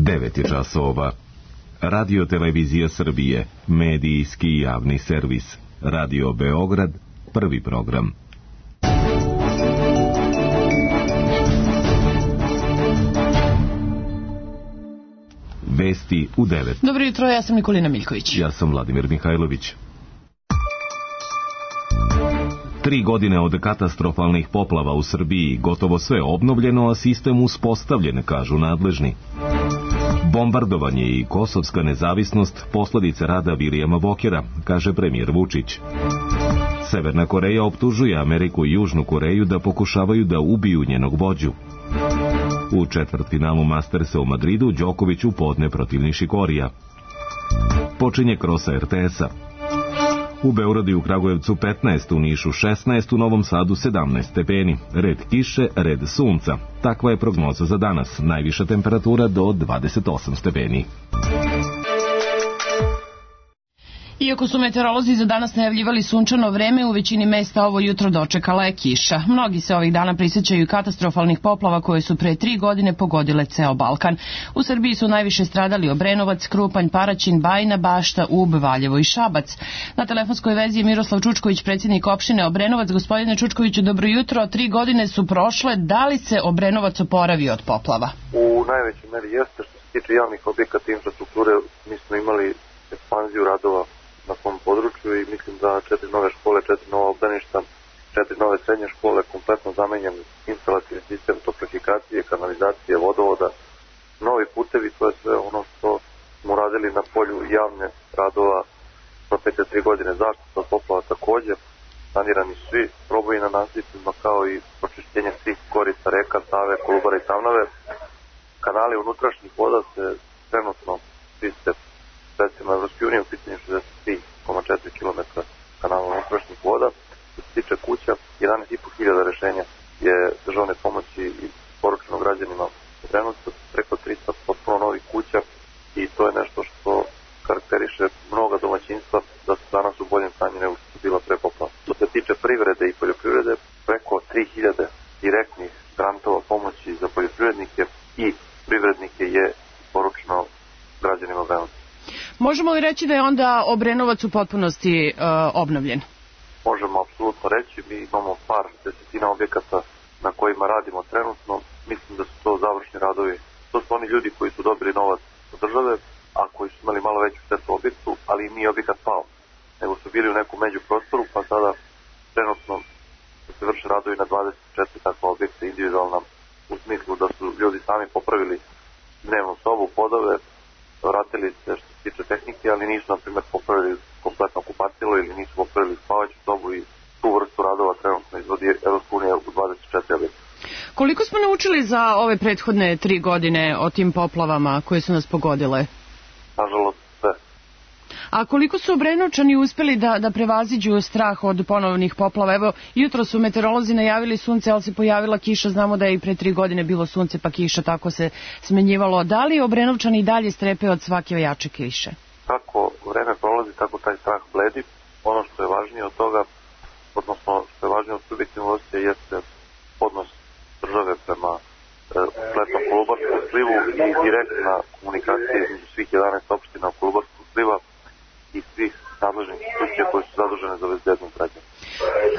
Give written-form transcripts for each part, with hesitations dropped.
9 je časova. Radio Televizija Srbije, medijski javni servis. Radio Beograd, prvi program. Vesti u 9. Dobro jutro, ja sam Nikolina Miljković. Ja sam Vladimir Mihajlović. 3 godine od katastrofalnih poplava u Srbiji, gotovo sve obnovljeno, a sistem uspostavljen, kažu nadležni. Bombardovanje i kosovska nezavisnost posledice rada Vilijama Vokera, kaže premijer Vučić. Severna Koreja optužuje Ameriku i Južnu Koreju da pokušavaju da ubiju njenog vođu. U četvrtfinalu Mastersa u Madridu Đoković upodne protiv Nišikorija. Počinje krosa RTS-a. U Beogradu i u Kragujevcu 15, u Nišu 16, u Novom Sadu 17 stepeni. Red kiše, red sunca. Takva je prognoza za danas. Najviša temperatura do 28 stepeni. Iako su meteorolozi za danas najavljivali sunčano vreme, u većini mesta ovo jutro dočekala je kiša. Mnogi se ovih dana prisjećaju katastrofalnih poplava koje su pre 3 godine pogodile ceo Balkan. U Srbiji su najviše stradali Obrenovac, Krupanj, Paraćin, Bajina Bašta, Ub, Valjevo i Šabac. Na telefonskoj vezi je Miroslav Čučković, predsjednik opštine Obrenovac. Gospodine Čučkoviću, dobro jutro. 3 godine su prošle. Da li se Obrenovac oporavio od poplava? U najvećoj meri jeste. Što se tiče javnih objekata i infrastrukture, mi smo imali ekspanziju radova na svom području i mislim da 4 nove škole, 4 nova obdaništa, 4 nove srednje škole, kompletno zamenjen instalacijni sistem toplifikacije, kanalizacije, vodovoda, novi putevi, to je sve ono što smo radili na polju javne radova protekle 3 godine. Zaštita od poplava također, sanirani svi proboji na nasipima kao i pročišćenje svih korica reka, Save, Kolubara i Tamnave. Kanali unutrašnjih voda se trenutno čiste sredstvima Evropske unije, u pitanju 63,4 km kanala unutrašnjih voda. Što se tiče kuća, 11.500 rešenja je državne pomoći i poručeno građanima trenutno, preko 300 potpuno novih kuća i to je nešto što karakteriše mnoga domaćinstva da su danas u boljem stanju nego što su bila pre poplava. Što se tiče privrede i poljoprivrede, preko 3000 direktnih grantova pomoći za poljoprivrednike i privrednike je poručeno građanima Obrenovca. Možemo li reći da je onda Obrenovac u potpunosti obnovljen? Možemo apsolutno reći. Mi imamo par desetina objekata na kojima radimo trenutno. Mislim da su to završni radovi. To su oni ljudi koji su dobili novac od države, a koji su imali malo veću štetu objektu, ali nije objekat pao. Nego su bili u nekom međuprostoru, pa sada trenutno se vrše radovi na 24 takva objekta individualna, u smislu da su ljudi sami popravili dnevnu sobu, podove, vratili se što se tiče tehnike, ali nisu, na primjer, popravili kompletno kupatilo ili nisu popravili spavaću sobu i tu vrstu radova trenutno izvodi Evropska unija u 24 objekta. Koliko smo naučili za ove prethodne 3 godine o tim poplavama koje su nas pogodile? Nažalost, sve. A koliko su Obrenovčani uspeli da prevaziđu strah od ponovnih poplava? Evo, jutro su meteorolozi najavili sunce, ali se pojavila kiša. Znamo da je i pre 3 godine bilo sunce pa kiša, tako se smenjivalo. Da li Obrenovčani i dalje strepe od svake jače kiše? Kako vreme prolazi, tako taj strah bledi. Ono što je važnije od toga, odnosno što je važnije od subjektivnog osjećaja, jeste odnos države prema kompletnom Kolubarskom slivu i direktna komunikacija između svih 11 opština u Kolubarskom sliva i svih nadležnih institucija koje su zadužene za bezbednost građana.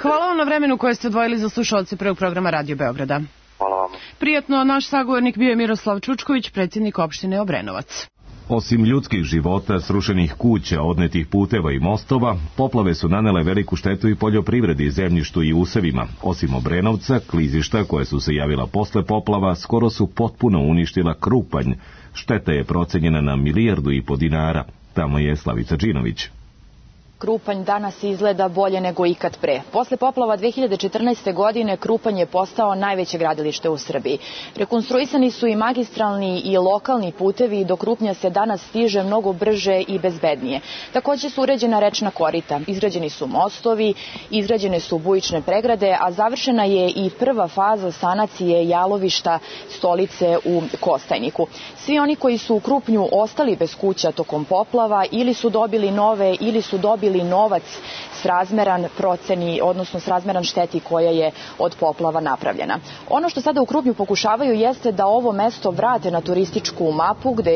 Hvala vam na vremenu koje ste odvojili za slušalce prvog programa Radio Beograda. Hvala vam. Prijatno, naš sagovornik bio je Miroslav Čučković, predsjednik opštine Obrenovac. Osim ljudskih života, srušenih kuća, odnetih puteva i mostova, poplave su nanele veliku štetu i poljoprivredi, zemljištu i usevima. Osim Obrenovca, klizišta koje su se javila posle poplava skoro su potpuno uništila Krupanj. Šteta je procenjena na 1,5 milijardu dinara. Tamo je Slavica Đinović. Krupanj danas izgleda bolje nego ikad pre. Posle poplava 2014. godine Krupanj je postao najveće gradilište u Srbiji. Rekonstruisani su i magistralni i lokalni putevi i do Krupnja se danas stiže mnogo brže i bezbednije. Također su uređena rečna korita, izgrađeni su mostovi, izgrađene su bujične pregrade, a završena je i prva faza sanacije jalovišta stolice u Kostajniku. Svi oni koji su u Krupnju ostali bez kuća tokom poplava ili su dobili nove ili su dobili dobili novac srazmeran proceni, odnosno srazmeran šteti koja je od poplava napravljena. Ono što sada u Krupnju pokušavaju jeste da ovo mesto vrate na turističku mapu gde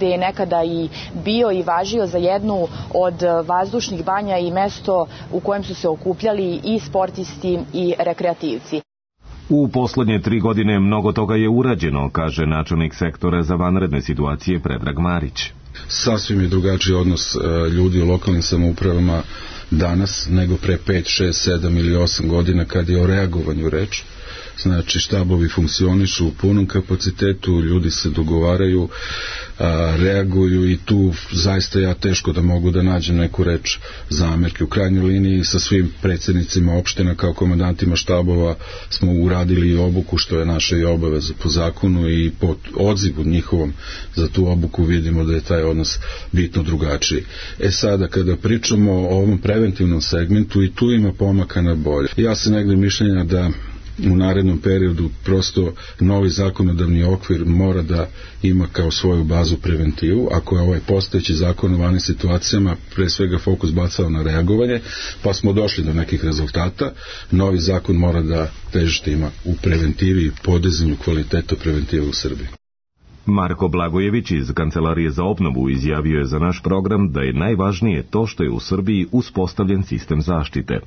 je nekada i bio i važio za jednu od vazdušnih banja i mesto u kojem su se okupljali i sportisti i rekreativci. U poslednje 3 godine mnogo toga je urađeno, kaže načelnik sektora za vanredne situacije Predrag Marić. Sasvim je drugačiji odnos ljudi u lokalnim samoupravama danas nego pre 5, 6, 7 ili 8 godina kad je o reagovanju reč. Znači štabovi funkcionišu u punom kapacitetu, ljudi se dogovaraju, reaguju i tu zaista ja teško da mogu da nađem neku reč zamerke. U krajnjoj liniji sa svim predsjednicima opština kao komandantima štabova smo uradili obuku, što je naša i obaveza po zakonu, i po odzivu njihovom za tu obuku vidimo da je taj odnos bitno drugačiji. Sada kada pričamo o ovom preventivnom segmentu, i tu ima pomaka na bolje. Ja sam negde mišljenja da u narednom periodu prosto novi zakonodavni okvir mora da ima kao svoju bazu preventivu. Ako je ovaj postojeći zakon o vanrednim situacijama pre svega fokus bacao na reagovanje, pa smo došli do nekih rezultata, novi zakon mora da težište ima u preventivi i podizanju kvaliteta preventive u Srbiji. Marko Blagojević iz Kancelarije za obnovu izjavio je za naš program da je najvažnije to što je u Srbiji uspostavljen sistem zaštite.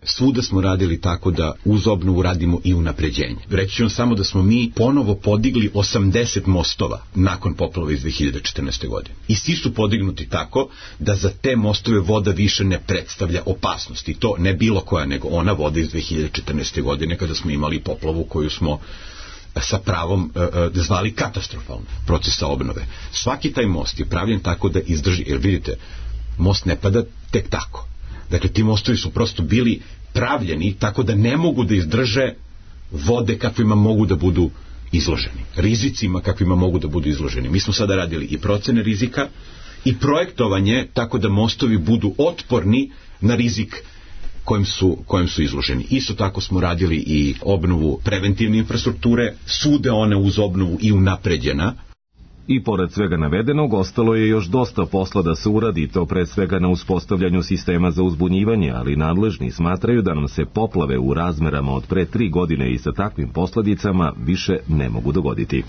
Svuda smo radili tako da uz obnovu radimo i unapređenje. Reći ću vam samo da smo mi ponovo podigli 80 mostova nakon poplava iz 2014. godine. I svi su podignuti tako da za te mostove voda više ne predstavlja opasnost. I to ne bilo koja, nego ona voda iz 2014. godine kada smo imali poplavu koju smo sa pravom zvali katastrofalno procesa obnove. Svaki taj most je pravljen tako da izdrži, jer vidite, most ne pada tek tako. Dakle, ti mostovi su prosto bili pravljeni tako da ne mogu da izdrže vode kakvima mogu da budu izloženi, rizicima kakvima mogu da budu izloženi. Mi smo sada radili i procene rizika i projektovanje tako da mostovi budu otporni na rizik kojem su izloženi. Isto tako smo radili i obnovu preventivne infrastrukture, svuda one uz obnovu i unapređena. I pored svega navedenog, ostalo je još dosta posla da se uradi, to pre svega na uspostavljanju sistema za uzbunjivanje, ali nadležni smatraju da nam se poplave u razmerama od pre 3 godine i sa takvim posledicama više ne mogu dogoditi.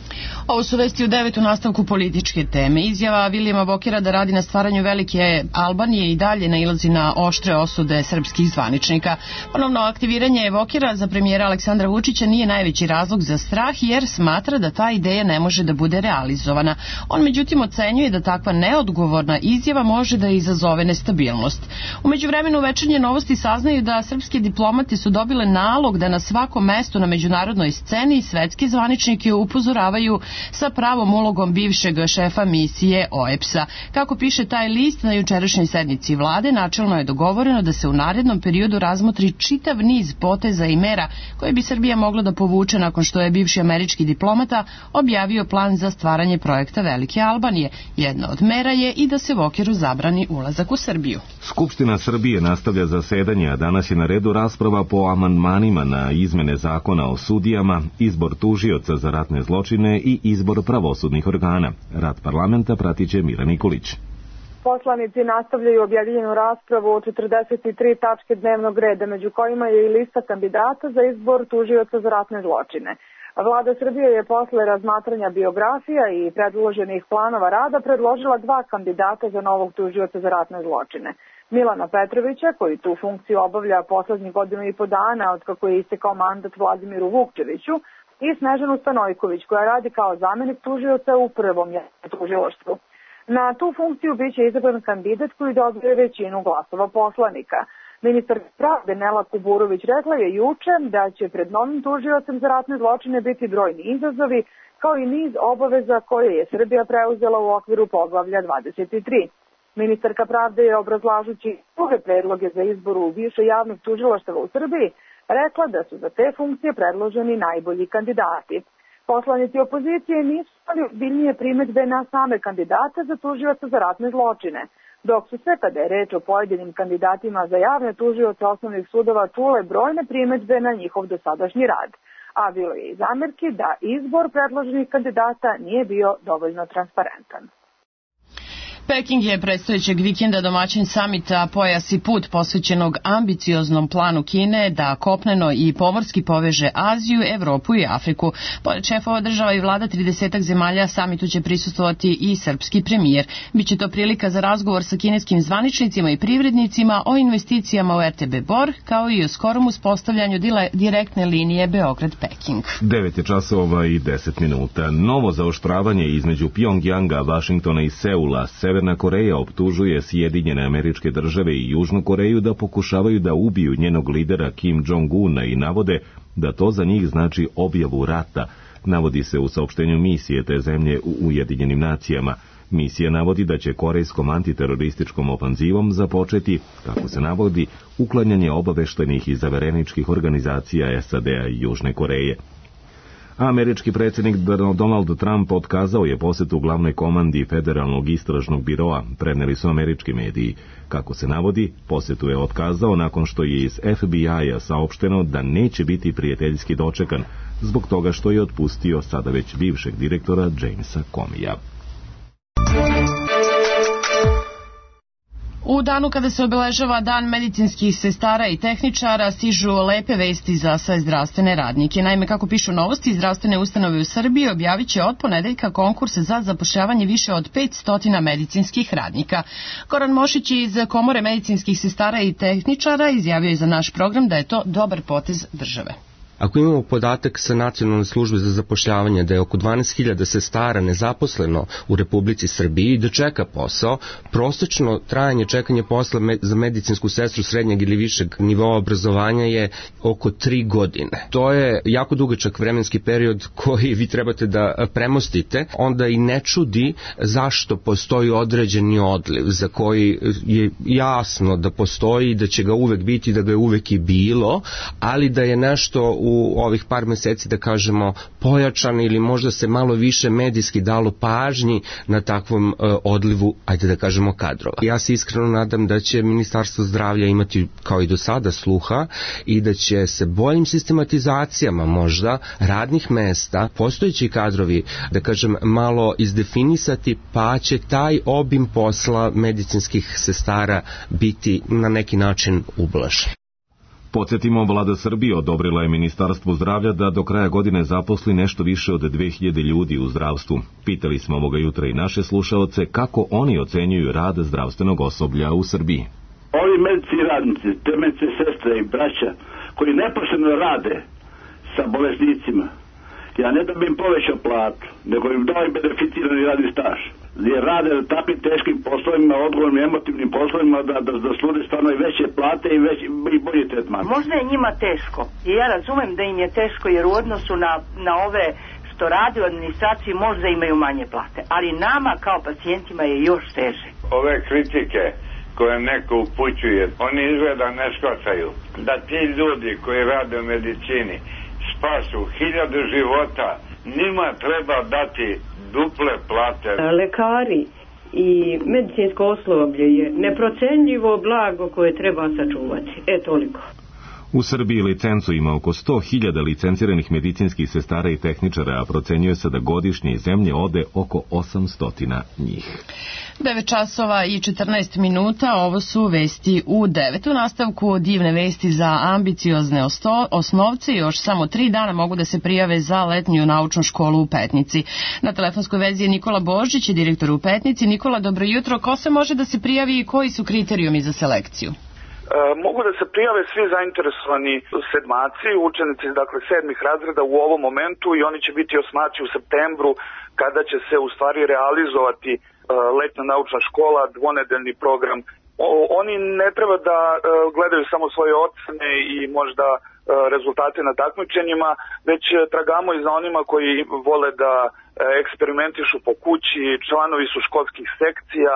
Ovo su vesti u 9. nastavku političke teme. Izjava Vilijama Vokera da radi na stvaranju velike Albanije i dalje nailazi na oštre osude srpskih zvaničnika. Ponovno aktiviranje Vokera za premijera Aleksandra Vučića nije najveći razlog za strah, jer smatra da ta ideja ne može da bude realizovana. On međutim ocenjuje da takva neodgovorna izjava može da izazove nestabilnost. U međuvremenu Večernje novosti saznaju da srpske diplomate su dobile nalog da na svakom mestu na međunarodnoj sceni svetske zvaničnike upozoravaju sa pravom ulogom bivšeg šefa misije OEBS-a. Kako piše taj list, na jučerašnjoj sednici vlade načelno je dogovoreno da se u narednom periodu razmotri čitav niz poteza i mera koje bi Srbija mogla da povuče nakon što je bivši američki diplomata objavio plan za stvaranje projekta Velike Albanije. Jedna od mera je i da se Vokeru zabrani ulazak u Srbiju. Skupština Srbije nastavlja zasedanje, a danas je na redu rasprava po amandmanima na izmene zakona o sudijama, izbor tužioca za ratne zločine i izbor pravosudnih organa. Rad parlamenta pratiće Mira Nikolić. Poslanici nastavljaju objedinjenu raspravu o 43 tačke dnevnog reda, među kojima je i lista kandidata za izbor tužioca za ratne zločine. Vlada Srbije je posle razmatranja biografija i predloženih planova rada predložila 2 kandidata za novog tužioca za ratne zločine. Milana Petrovića, koji tu funkciju obavlja poslednjih 1,5 godina od kako je istekao mandat Vladimiru Vukčeviću, i Snežanu Stanojković, koja radi kao zamenik tužioca u prvom tužilaštvu. Na tu funkciju biće izabran kandidat koji dobije većinu glasova poslanika. Ministar pravde Nela Kuburović rekla je juče da će pred novim tužiocem za ratne zločine biti brojni izazovi, kao i niz obaveza koje je Srbija preuzela u okviru poglavlja 23. Ministarka pravde je, obrazlažući druge predloge za izbor u više javnih tužilaštava u Srbiji, rekla da su za te funkcije predloženi najbolji kandidati. Poslanici opozicije nisu imali ozbiljnije primedbe na same kandidate za tužioca za ratne zločine, dok su se, kada je reč o pojedinim kandidatima za javne tužioce osnovnih sudova, čule brojne primedbe na njihov dosadašnji rad. A bilo je i zamerki da izbor predloženih kandidata nije bio dovoljno transparentan. Peking je predstojećeg vikenda domaćin samita Pojas i put posvećenog ambicioznom planu Kine da kopneno i pomorski poveže Aziju, Evropu i Afriku. Pored šefova država i vlada 30 zemalja samitu će prisustvovati i srpski premijer. Biće to prilika za razgovor sa kineskim zvaničnicima i privrednicima o investicijama u RTB Bor, kao i o skorom uspostavljanju direktne linije Beograd-Peking. 9:10. Novo zaoštravanje između Pjongjanga, Vašingtona i Seula. Severna Koreja optužuje Sjedinjene Američke Države i Južnu Koreju da pokušavaju da ubiju njenog lidera Kim Jong-una i navode da to za njih znači objavu rata, navodi se u saopštenju misije te zemlje u Ujedinjenim nacijama. Misija navodi da će korejskom antiterorističkom ofanzivom započeti, kako se navodi, uklanjanje obaveštenih i zavereničkih organizacija SAD-a i Južne Koreje. Američki predsjednik Donald Trump otkazao je posjetu glavnoj komandi Federalnog istražnog biroa, preneli su američki mediji. Kako se navodi, posjetu je otkazao nakon što je iz FBI-a saopšteno da neće biti prijateljski dočekan, zbog toga što je otpustio sada već bivšeg direktora Jamesa Comeyja. U danu kada se obeležava Dan medicinskih sestara i tehničara stižu lepe vesti za sve zdravstvene radnike. Naime, kako pišu Novosti, zdravstvene ustanove u Srbiji objavit će od ponedeljka konkurs za zapošljavanje više od 500 medicinskih radnika. Goran Mošić iz Komore medicinskih sestara i tehničara izjavio je za naš program da je to dobar potez države. Ako imamo podatak sa Nacionalne službe za zapošljavanje da je oko 12.000 sestara nezaposleno u Republici Srbiji i da čeka posao, prosečno trajanje čekanja posla za medicinsku sestru srednjeg ili višeg nivoa obrazovanja je oko 3 godine. To je jako dugačak vremenski period koji vi trebate da premostite, onda i ne čudi zašto postoji određeni odliv za koji je jasno da postoji i da će ga uvek biti, da ga je uvek i bilo, ali da je nešto u ovih par meseci, da kažemo, pojačan ili možda se malo više medijski dalo pažnji na takvom odlivu, ajde da kažemo, kadrova. Ja se iskreno nadam da će Ministarstvo zdravlja imati kao i do sada sluha i da će se boljim sistematizacijama možda radnih mesta, postojeći kadrovi, da kažem, malo izdefinisati, pa će taj obim posla medicinskih sestara biti na neki način ublažen. Podsjetimo, vlada Srbije odobrila je Ministarstvu zdravlja da do kraja godine zaposli nešto više od 2000 ljudi u zdravstvu. Pitali smo ovoga jutra i naše slušaoce kako oni ocenjuju rad zdravstvenog osoblja u Srbiji. Ovi medicinski radnici, te medicinske sestre i braća koji nepošteno rade sa bolesnicima, ja ne da bi im povećao platu, nego im dao i beneficirani radni staž. Jer rade na takvim teškim poslovima, odgovornim, emotivnim poslovima, da služe stvarno i veće plate i bolji tretman. Možda je njima teško. I ja razumem da im je teško, jer u odnosu na ove što rade u administraciji možda imaju manje plate. Ali nama kao pacijentima je još teže. Ove kritike koje neko upućuje, oni izgleda ne shvataju da ti ljudi koji rade u medicini spasu 1000 života, njima treba dati duple plate. Lekari i medicinsko osoblje je neprocenljivo blago koje treba sačuvati. Toliko. U Srbiji licencu ima oko 100.000 licenciranih medicinskih sestara i tehničara, a procenjuje se da godišnje iz zemlje ode oko 800 njih. 9:14, ovo su vesti u 9. U nastavku divne vesti za ambiciozne osnovce. Još samo 3 dana mogu da se prijave za letnju naučnu školu u Petnici. Na telefonskoj vezi je Nikola Božić, direktor u Petnici. Nikola, dobro jutro. Ko se može da se prijavi i koji su kriterijumi za selekciju? Mogu da se prijave svi zainteresovani sedmaci, učenici, dakle 7. razreda u ovom momentu, i oni će biti osmaci u septembru kada će se u stvari realizovati letna naučna škola, dvonedeljni program. Oni ne treba da gledaju samo svoje ocene i možda rezultate na takmičenjima, već tragamo i za onima koji vole da eksperimentišu po kući, članovi su školskih sekcija,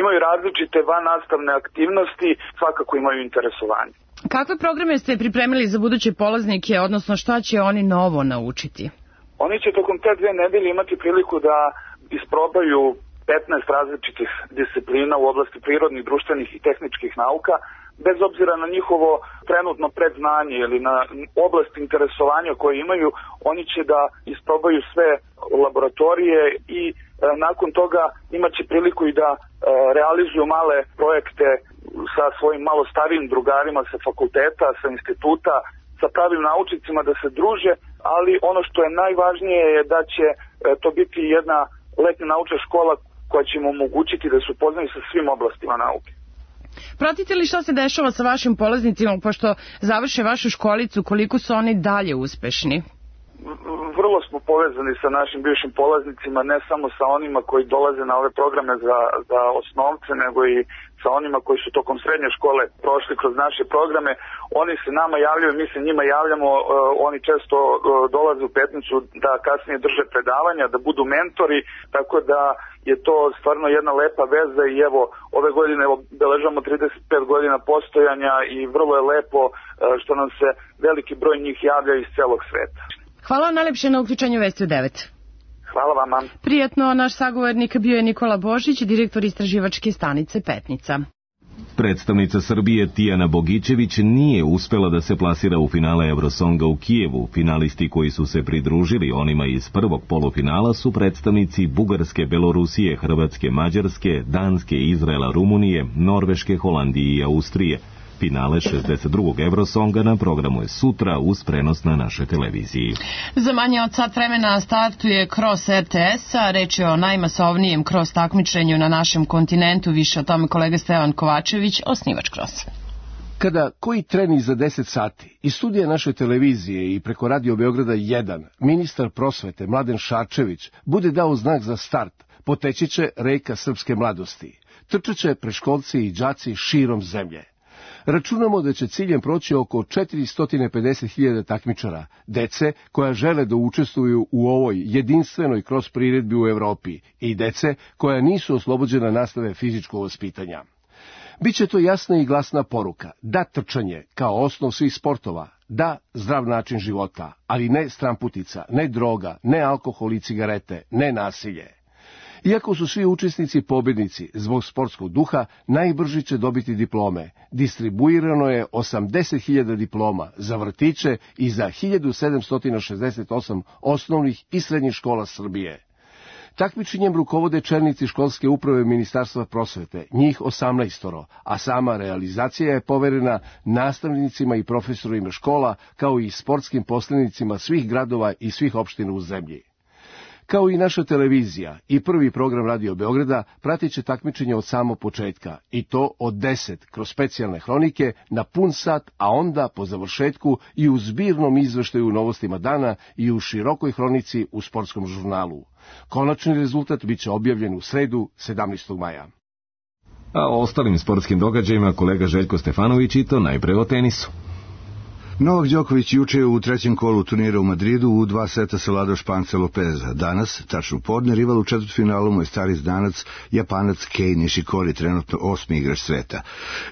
imaju različite vannastavne aktivnosti, svakako imaju interesovanje. Kakve programe ste pripremili za buduće polaznike, odnosno šta će oni novo naučiti? Oni će tokom te 2 nedelje imati priliku da isprobaju 15 različitih disciplina u oblasti prirodnih, društvenih i tehničkih nauka, bez obzira na njihovo trenutno predznanje ili na oblast interesovanja koje imaju. Oni će da isprobaju sve laboratorije i nakon toga imaće priliku i da realizuju male projekte sa svojim malo starijim drugarima sa fakulteta, sa instituta, sa pravim naučnicima da se druže, ali ono što je najvažnije je da će to biti jedna letnja naučna škola koja će im omogućiti da se upoznaju sa svim oblastima nauke. Pratite li šta se dešava sa vašim polaznicima, pošto završe vašu školicu, koliko su oni dalje uspešni? Vrlo smo povezani sa našim bivšim polaznicima, ne samo sa onima koji dolaze na ove programe za osnovce, nego i sa onima koji su tokom srednje škole prošli kroz naše programe. Oni se nama javljaju, mi se njima javljamo, oni često dolaze u Petnicu da kasnije drže predavanja, da budu mentori, tako da je to stvarno jedna lepa veza i evo, ove godine obeležavamo 35 godina postojanja i vrlo je lepo što nam se veliki broj njih javlja iz celog sveta. Hvala vam najlepše na uključenju Vesti u 9. Hvala vama. Prijetno, naš sagovornik bio je Nikola Božić, direktor istraživačke stanice Petnica. Predstavnica Srbije Tijana Bogićević nije uspela da se plasira u finale Eurosonga u Kijevu. Finalisti koji su se pridružili onima iz prvog polufinala su predstavnici Bugarske, Belorusije, Hrvatske, Mađarske, Danske, Izraela, Rumunije, Norveške, Holandije i Austrije. Finale 62. Eurosonga na programu je sutra uz prenos na našoj televiziji. Za manje od sat vremena startuje Cross RTS-a. Reč je o najmasovnijem cross takmičenju na našem kontinentu. Više o tome kolega Stevan Kovačević, osnivač Crossa. Kada koji treni za 10 sati iz studija naše televizije i preko Radio Beograda 1, ministar prosvete Mladen Šarčević bude dao znak za start, poteći će reka srpske mladosti. Trčeće preškolci i đaci širom zemlje. Računamo da će ciljem proći oko 450.000 takmičara, dece koja žele da učestvuju u ovoj jedinstvenoj cross priredbi u Evropi i dece koja nisu oslobođena nastave fizičkog vaspitanja. Biće to jasna i glasna poruka, da trčanje kao osnov svih sportova, da zdrav način života, ali ne stramputica, ne droga, ne alkohol i cigarete, ne nasilje. Iako su svi učesnici pobjednici, zbog sportskog duha, najbrži će dobiti diplome. Distribuirano je 80.000 diploma za vrtiće i za 1768 osnovnih i srednjih škola Srbije. Takmičenjem rukovode čelnici školske uprave Ministarstva prosvete, njih 18, a sama realizacija je poverena nastavnicima i profesorima škola, kao i sportskim poslenicima svih gradova i svih opština u zemlji. Kao i naša televizija i prvi program Radio Beograda pratit će takmičenje od samog početka, i to od 10 kroz specijalne hronike na pun sat, a onda po završetku i u zbirnom izveštaju u Novostima dana i u širokoj hronici u sportskom žurnalu. Konačni rezultat biće objavljen u sredu 17. maja. A o ostalim sportskim događajima kolega Željko Stefanović i to najpre o tenisu. Novak Đoković juče je u trećem kolu turnira u Madridu u 2 seta savladao Španca Lopeza. Danas, tačno podne, rival u četvrtfinalu mu je stari znanac, Japanac Kei Nishikori, trenutno 8. igrač sveta.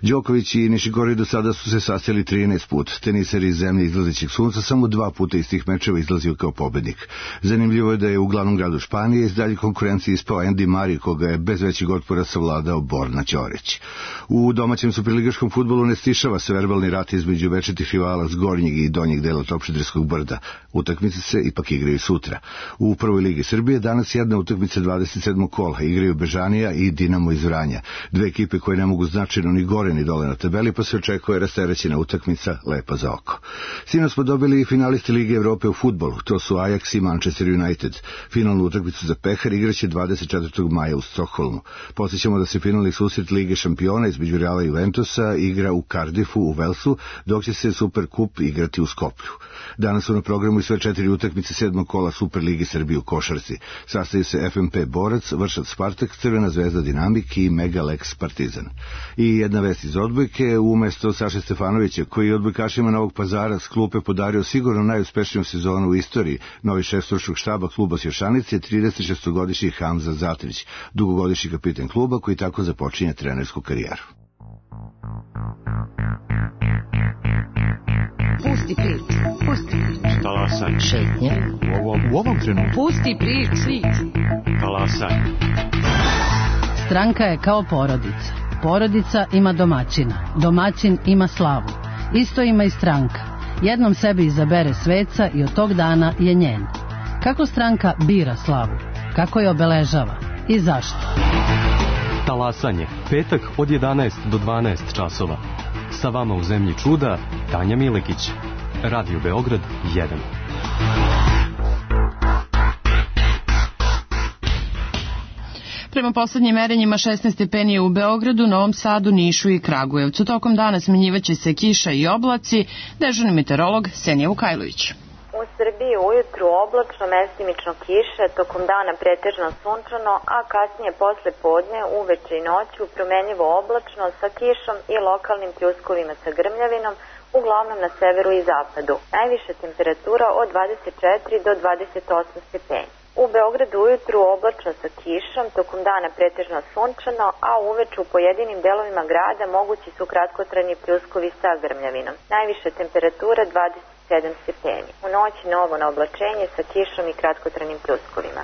Đoković i Nishikori do sada su se sastali 13 put. Teniseri iz zemlje izlazećeg sunca samo 2 puta iz tih mečeva izlazio kao pobednik. Zanimljivo je da je u glavnom gradu Španije iz dalje konkurencije ispao Andy Murray, koga je bez većeg otpora savladao Borna Ćorić. U domaćem superligaškom fudbalu ne stišava se verbalni rat između večitih rivala gornjeg i donjeg dela Topčiderskog brda. Utakmice se ipak igraju sutra. U prvoj ligi Srbije danas jedna utakmica 27. kola. Igraju Bežanija i Dinamo iz Vranja. Dve ekipe koje ne mogu značajno ni gore ni dole na tabeli, pa se očekuje rasterećena utakmica lepa za oko. Sinoć smo dobili i finalisti Lige Evrope u fudbalu. To su Ajax i Manchester United. Finalnu utakmicu za Pehar igraće 24. maja u Stokholmu. Podsjećamo da se finalni susret Lige šampiona između Reala i Juventusa igra u Cardiffu u Velsu, dok će se Superkup igrati u Skoplju. Danas su na programu i sve 4 utakmice 7. kola Superlige Srbije u košarci. Sastaju se FMP Borac, Vršac Spartak, Crvena zvezda Dinamik i Mega Lex Partizan. I jedna vest iz odbojke, umesto Saše Stefanovića, koji je odbojkašima Novog Pazara s klupe podario sigurno najuspešniju sezonu u istoriji, novi šef stručnog štaba kluba Sjošanice je 36-godišnji Hamza Zatrić, dugogodišnji kapitan kluba koji tako započinje trenersku karijeru. Pusti priču. Talasaj. Šetnje. U ovom trenutku. Pusti priču. Talasaj. Stranka je kao porodica. Porodica ima domaćina. Domaćin ima slavu. Isto ima i stranka. Jednom sebi izabere sveca i od tog dana je njen. Kako stranka bira slavu? Kako je obeležava? I zašto? Talasanje, petak od 11 do 12 časova. Sa vama u Zemlji čuda, Tanja Milekić. Radio Beograd 1. Prema poslednjim merenjima 16 stepeni je u Beogradu, Novom Sadu, Nišu i Kragujevcu. Tokom dana smenjivaće se kiša i oblaci. Dežurni meteorolog Senija Vukajlović. U Srbiji ujutru oblačno, mestimično kiše, tokom dana pretežno sunčano, a kasnije posle podne, uveče i noću promenljivo oblačno sa kišom i lokalnim pljuskovima sa grmljavinom, uglavnom na severu i zapadu. Najviša temperatura od 24 do 28 stepeni. U Beogradu ujutru oblačno sa kišom, tokom dana pretežno sunčano, a uveče u pojedinim delovima grada mogući su kratkotrajni pljuskovi sa grmljavinom. Najviša temperatura 27 stepeni. U noći novo na oblačenje sa kišom i kratkotrajnim pljuskovima.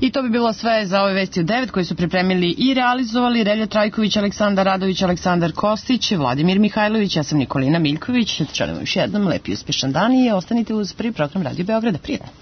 I to bi bilo sve za ove vesti od 9 koje su pripremili i realizovali Relja Trajković, Aleksandar Radović, Aleksandar Kostić, Vladimir Mihajlović, ja sam Nikolina Miljković. Želim još jednom lep i uspešan dan i ostanite uz prvi program Radio Beograda. Prijetno!